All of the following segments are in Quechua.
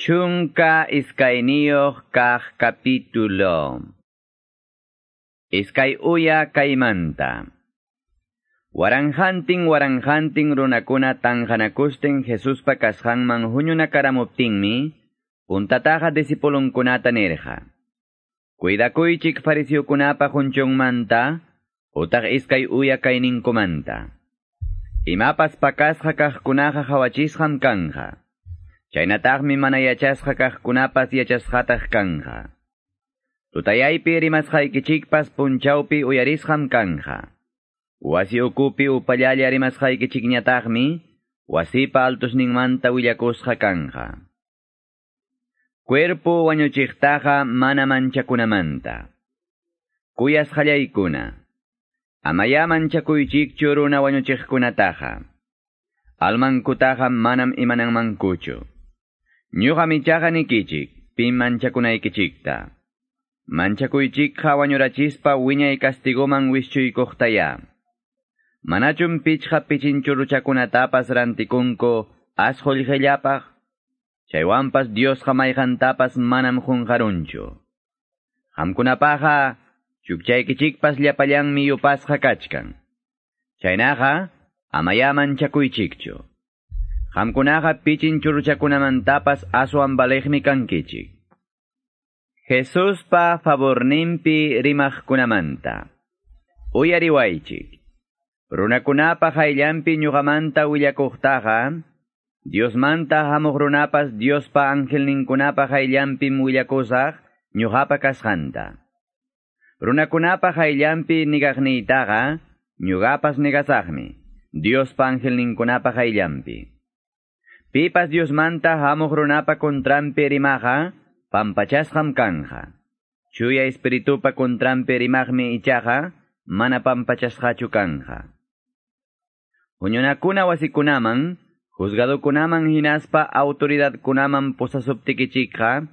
12 kaq capítulo. Iskay uya kaymanta. Waranjantin waranjantin runakuna tanjanakusten Jesuspa kasqanman huñunakaramuptinmi, puntataqa discipulunkunata nirqa. Cuidakuychik fariseokunapa hunchunmanta, utaq iskay uya kayninkumanta. Imapas pakasqa kaqkunaqa hawachisqam kanja. Chaynataqmi mana yachasqa kaqkunapas yachasqataq kanja. Tutayaypi rimasqaykichikpas punchawpi uyarisqam kanja. Wasi ukupi upallalla rimasqaykichikñataqmi, wasipa altusninmanta willakusqa kanja. Cuerpo wañuchiqtaqa mana manchakunamanta. Kuyasqallaykuna. Amaya manchakuychikchu runa wañuchiqkunataqa. Almankutaqa manam imananmankuchu. Ñuqam ichaqa nikichik, pim manchakunaykichikta. Manchakuychikqa wañurachispa wiñay castigoman wischuykuqtaya. Manachum pichqa pichinchurruchakunatapas rantikunku as qullqillapaq, chaywanpas Diosqa mayqantapas manam qunqarunchu. Qamkunapaqa chukchaykichikpas llapallanmi yupasqa kachkan. Chaynaqa amaya manchakuychikchu. Qamkunaqa pichinchurruchakunamantapas aswan valiqmi kankichik. Jesuspa favorninpi rimaqkunamanta. Uyariwaychik. Runakunapa hayllanpi ñuqamanta willakuqtaqa, Diosmanta hamuq runapas Diospa angelninkunapa hayllanpim willakusaq ñuqapa kasqanta. Runakunapa hayllanpi nigaqniytaqa, ñuqapas nigasaqmi, Diospa angelninkunapa hayllanpi. Pipas Diosmanta hamuq runapa contranpi rimaqa, pampachasqam kanja. Chuya espiritupa contranpi rimaqmi ichaqa, mana pampachasqachu kanja. Huñunakuna wasikunaman, juzgadokunaman hinaspa autoridadkunaman pusasuptikichikqa,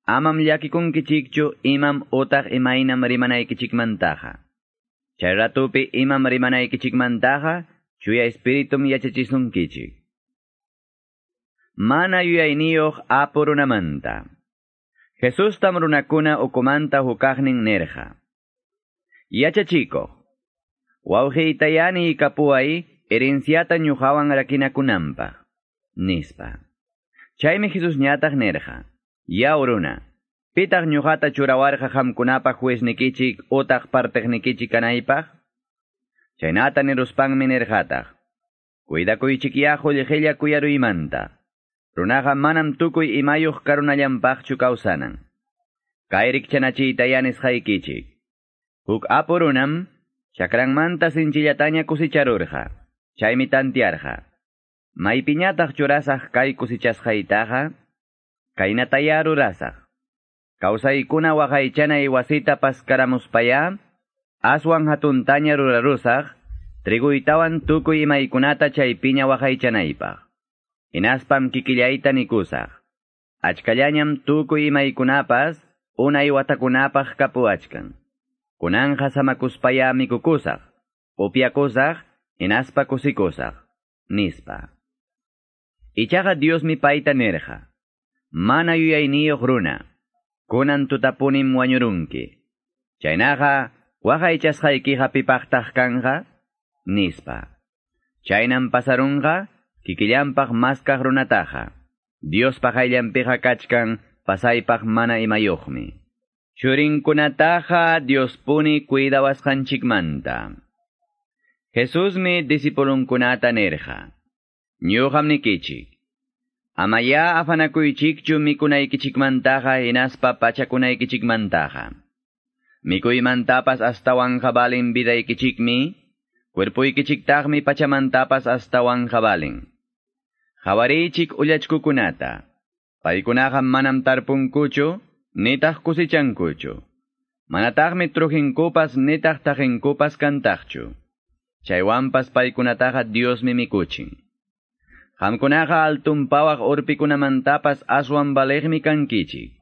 amam llakikunkichikchu imam utaq imaynam rimanaykichikmantaqa. Chay ratupi imam rimanaykichikmantaqa, chuya espiritum yachachisunkichik. Mana yuyayniyuq apu runamanta. Jesustam runakuna ukumanta hukaqnin nirqa. Yachachikuq, wawqiytayani kapuway herenciata ñuqawan rakinakunanpaq, nispa. Chaymi Jesusñataq nirqa, yaw runa, pitaq ñuqata churawarqa qamkunapaq jueznikichik utaq partiqnikichik kanaypaq? Chaynata niruspanmi nirqataq, cuidakuychikyá qullqilla kuyaruymanta. Runaqa manam tukuy imayuq karunallanpaqchu kawsanan. Kay rikchanachiytaya nisqaykichik. Huk apu runam chakranmanta sinchillataña kusicharurqa. Chaymi tantiarqa. Maypiñataq churasaq kay kusichasqaytaqa, kaynataya rurasaq. Kawsaykuna waqaychanay wasita paskaramuspaya, aswan hatuntaña rurarusaq, triguytawan tukuy imaykunata chaypiña waqaychanaypaq. Hinaspam kikillayta nikusaq. Achkallañam tukuy imaykunapas, unay watakunapaq kapuachkan. Kunanja samakuspaya mikukusaq, upyakusaq, hinaspa kusikusaq, nispa. Ichaqa Diosmi payta nirqa, mana yuyayniyuq runa, kunan tutapunim wañurunki. Chaynaqa, waqaychasqaykiqa pipaqtaq kanja, nispa. Chaynam pasarunqa, kikillanpaq maskaq runataqa. Diospa hayllanpiqa kachkan, pasaypaq mana imayuqmi. Churinkunataqa Diospuni cuidawasqanchikmanta. Jesusmi discipulunkunata nirqa. Ñuqam nikichik. Amaya afanakuychikchu mikunaykichikmantaqa hinaspa pachakunaykichikmantaqa. Mikuymantapas astawanqa valin vidaykichikmi, cuerpuykichiktaqmi pachamantapas astawanqa valin. Hawariychik ullachkukunata. Paykunaqa manam tarpunkuchu, nitaq kusichankuchu. Manataqmi trujinkupas nitaq taqinkupas kantaqchu. Chaywanpas paykunataqa Diosmi mikuchin. Qamkunaqa altunpawaq urpikunamantapas aswan valiqmi kankichik.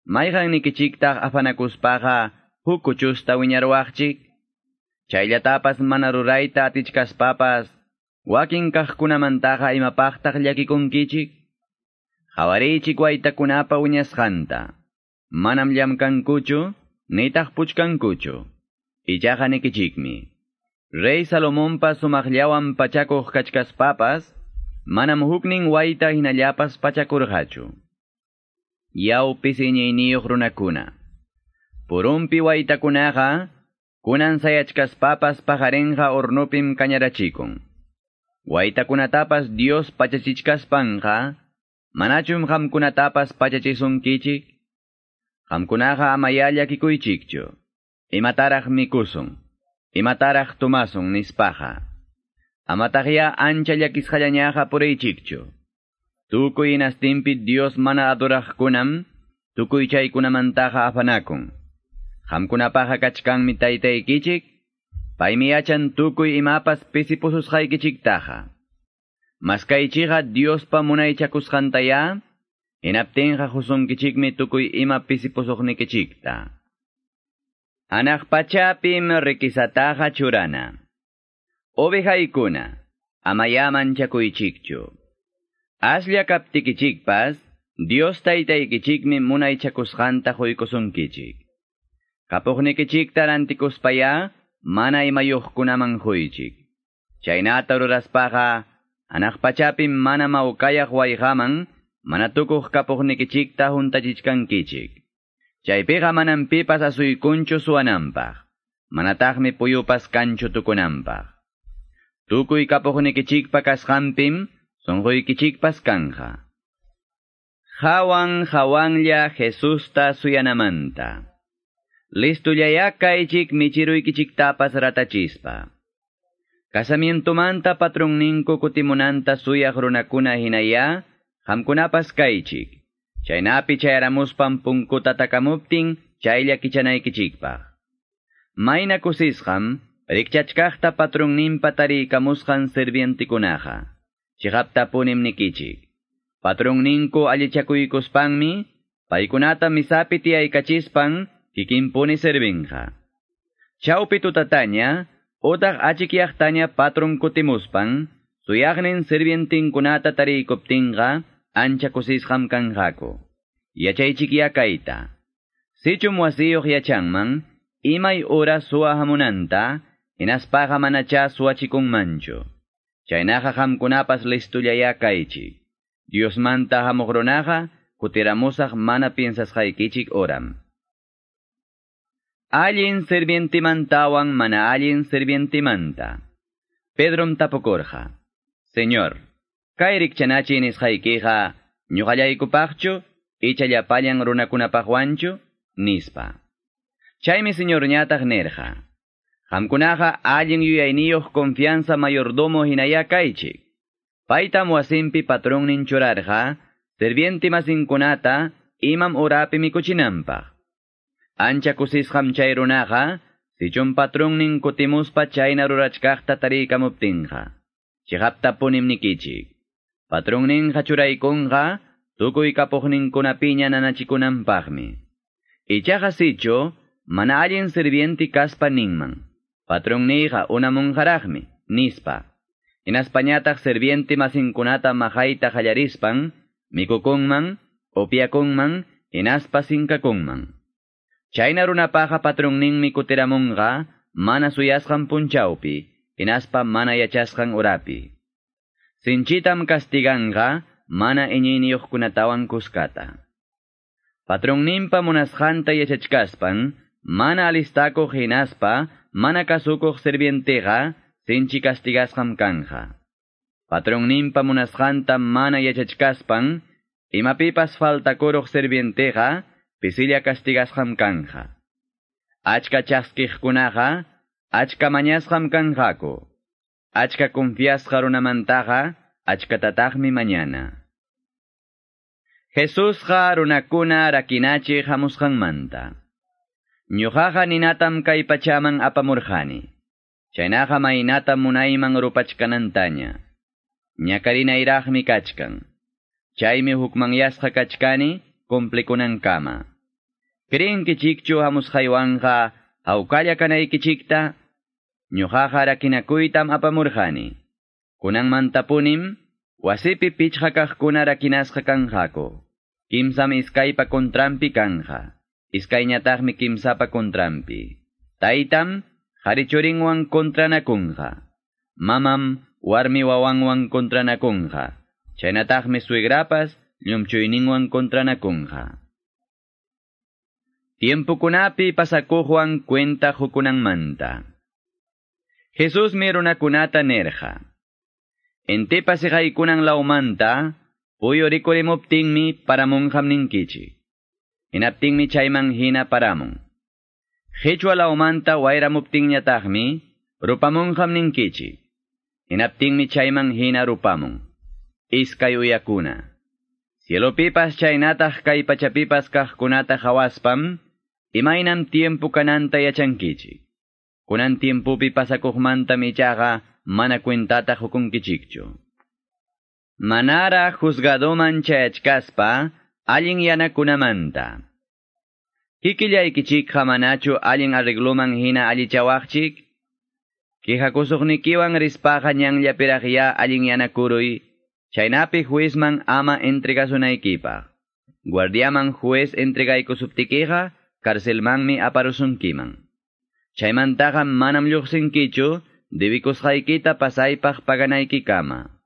Mayqannikichiktaq afanakuspaqa huk kuchusta wiñaruwaqchik? Chayllatapas mana rurayta atichkaspapas, wakin kaqkunamantaqa imapaqtaq llakikunkichik? Qawariychik waytakunapa wiñasqanta. Manam llamkankuchu, nitaq puchkankuchu. Ichaqa nikichikmi. Rey Salomonpa sumaqllawan pachakuq kachkaspapas, manam huknin wayta hinallapas pachakurqachu. Yaw pisi iñiyniyuq runakuna. Purumpi waytakunaqa, kunan sayachkaspapas paqarinqa hornopim kañarachikun. Waytakunatapas Dios pachachichkaspanqa, manachum qamkunatapas pachachisunkichik? Qamkunaqa amaya llakikuychikchu. Imataraq mikusun, imataraq tumasun nispaqa. Amataqya ancha llakisqallañaqa puriychikchu. Tukuy hinastinpi Dios mana adoraqkunam, tukuy chaykunamantaqa afanakun. Qamkunapaqa kachkanmi taytaykichik, paymi yachan tukuy imapas pisipususqaykichiktaqa. Maskaychiqa Diospa munaychakusqantaya, hinaptinqa husunkichikmi tukuy ima pisipusuqnikichikta. Anaq pachapim rikisataqa churana. Ovejaykuna, amaya manchakuychikchu. Aslla kaptikichikpas, Dios taytaykichikmi munaychakusqanta huykusunkichik. Kapuqnikichikta rantikuspaya, mana imayuqkunaman huychik. Chaynata ruraspaqa, anaq pachapim mana mawkayaq wayqaman, mana tukuq kapuqnikichikta huntachichkankichik. Chaypiqa manam pipas asuykunchu suwananpaq, manataqmi puyupas kanchu tukunanpaq. Tukuy kapuqnikichikpa kasqanpim, sunquykichikpas kanja. Hawan hawanlla Jesusta suyanamanta. Listullaya kaychik michiruykichiktapas ratachispa. Casamientomanta patronninku kutimunanta suyaq runakuna hinaya, qamkunapas kaychik. Chaynapi chayaramuspan punkuta takamuptin, chaylla kichanaykichikpaq. Mayna kusisqam, rikchachkaqta patronninpa tariykamusqan sirvientikunaqa. Chiqaptapunim nikichik. Patronninku allichakuykuspanmi, paykunata misapi tiyaykachispan, kikinpuni servinqa. Chawpi tutataña, utaq achikyaqtaña patron kutimuspan, suyaqnin sirvientinkunata tariykuptinqa, ancha kusisqam kanqaku. Yachaychikya kayta. Sichum wasiyuq yachanman, imay ura suwa hamunanta, hinaspaqa manacha suwachikunmanchu. Chaynaqa qamkunapas listullaya kaychik. Diosmanta hamuq runaqa, kutiramusaq mana piensasqaykichik oram. Allin sirvientimantawan mana allin sirvientimanta. Pedrom tapukurqa. Señor, kay rikchanachi nisqaykiqa ñuqallaykupaqchu, icha llapallan runakunapaqwanchu, nispa. Chaymi señorñataq nirqa. Qamkunaqa allin yuyayniyuq confianza mayordomo hinaya kaychik. Paytam wasinpi patronnin churarqa, sirvienti masinkunata imam urapi mikuchinanpaq. Ancha kusisqam chay runaqa, sichum patronnin kutimuspa chayna rurachkaqta tariykamuptinqa. Chiqaptapunim nikichik. Patronninqa churaykunqa, tukuy kapuqninkunapiña nanachikunanpaqmi. Ichaqa sichu, mana allin sirvienti kaspa ninman. Patronniyqa unamunqaraqmi, nispa. Hinaspañataq sirvienti masinkunata maqayta qallarispan, mikukunman, upiakunman, hinaspa sinkakunman. Chayna runapaqa patronninmi kutiramunqa, mana suyasqan punchawpi, hinaspa mana yachasqan urapi. Sinchitam castiganqa, mana iñiyniyuqkunatawan kuskata. Patronninpa munasqanta yachachkaspan, mana alistakuq hinaspa, mana kasukuq sirvienteqa, sinchi castigasqam kanja. Patronninpa munasqanta mana yachachkaspan, imapipas faltakuruq sirvienteqa, pisilla castigasqam kanja. Achka chaskiqkunaqa, achka mañasqam kanqaku. Achka confiasqa runamantaqa, achkatataqmi mañana. Jesusqa runakuna rakinachi hamusqanmanta. Ñuqaqa ninatam kay pachaman apamurqani. Chaynaqa maynatam munayman rupachkanantaña. Ñakarinayraqmi kachkan. Chaymi hukmanyasqa kachkani cumplikunankama. Creenkichikchu hamusqaywanqa hawkalla kanaykichikta? Ñuqaqa rakinakuytam apamurqani. Kunanmantapunim Wasipi pichqa kaqkuna rakinasqa kanqaku. Kimsam iskaypa kontrampi kanja. Iskayñataqmi kimsapa kontrampi. Taytam qari churinwan kontranakunqa. Mamam warmi wawanwan kontranakunqa. Chaynataqmi suegrapas llumchuyninwan kontranakunqa. Tiempukunapi pasakuqwan cuenta hukunanmanta. Jesusmi runakunata nirqa. Intipa siqaykunan lawmanta, puyu rikurimuptinmi paramunqam ninkichik. Hinaptinmi chayman hina paramun. Qichwa lawmanta wayramuptinñataqmi rupamunqam ninkichik. Hinaptinmi chayman hina rupamun. Iskay uyakuna. Cielopipas chaynataq kay pachapipas kaqkunata hawaspam, imaynam tiempo kananta yachankichik. Kunan tiempopi pasakuqmantam ichaqa mana cuentata hukunkichikchu. Manara juzgadoman chayachkaspa allin yanakunamanta. Kikillaykichikqa manachu allin arregloman hina allichawaqchik? Quejakusuqnikiwan rispaqa ñanllapiraqya allin yanakuruy, chaynapi juezman ama entregasunaykipaq. Guardiaman juez entregaykusuptikiqa, carcelmanmi aparusunkiman. Chaymantaqa manam lluqsinkichu, debikusqaykita pasaypaq paganaykikama.